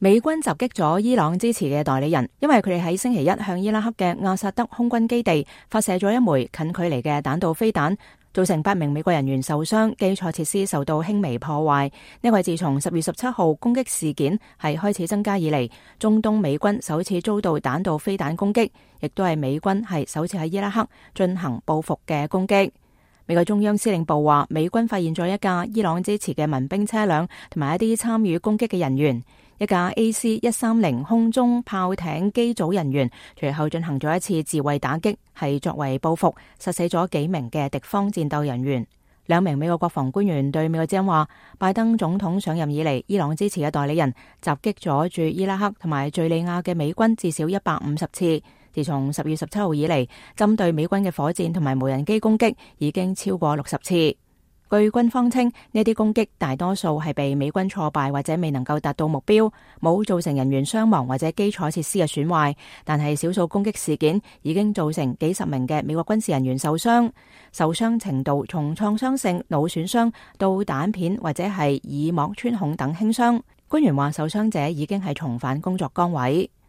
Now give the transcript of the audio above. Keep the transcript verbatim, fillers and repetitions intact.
美軍襲擊咗伊朗支持嘅代理人，因為佢哋喺星期一向伊拉克嘅阿薩德空軍基地發射咗一枚近距離嘅彈道飛彈，造成八名美國人員受傷，基礎設施受到輕微破壞。呢個係自從十月十七號攻擊事件係開始增加以嚟，中東美軍首次遭到彈道飛彈攻擊，亦都係美軍係首次喺伊拉克進行報復嘅攻擊。美國中央司令部話，美軍發現咗一架伊朗支持嘅民兵車輛同埋一啲參與攻擊嘅人員。一架 A C 一三零空中炮艇機組人員隨後進行咗一次自衛打擊，係作為報復，殺死咗幾名嘅敵方戰鬥人員。兩名美國國防官員對美國之音話，拜登總統上任以嚟，伊朗支持嘅代理人襲擊咗駐伊拉克同埋敘利亞嘅美軍至少一百五十次。自從十月十七號以嚟，針對美軍嘅火箭同埋無人機攻擊已經超過六十次。據軍方稱，呢啲攻擊大多數係被美軍挫敗或者未能夠達到目標，冇造成人員傷亡或者基礎設施嘅損壞，但係少數攻擊事件已經造成幾十名嘅美國軍事人員受傷，受傷程度從創傷性腦損傷到彈片或者係耳膜穿孔等輕傷。官員話，受傷者已經係重返工作崗位。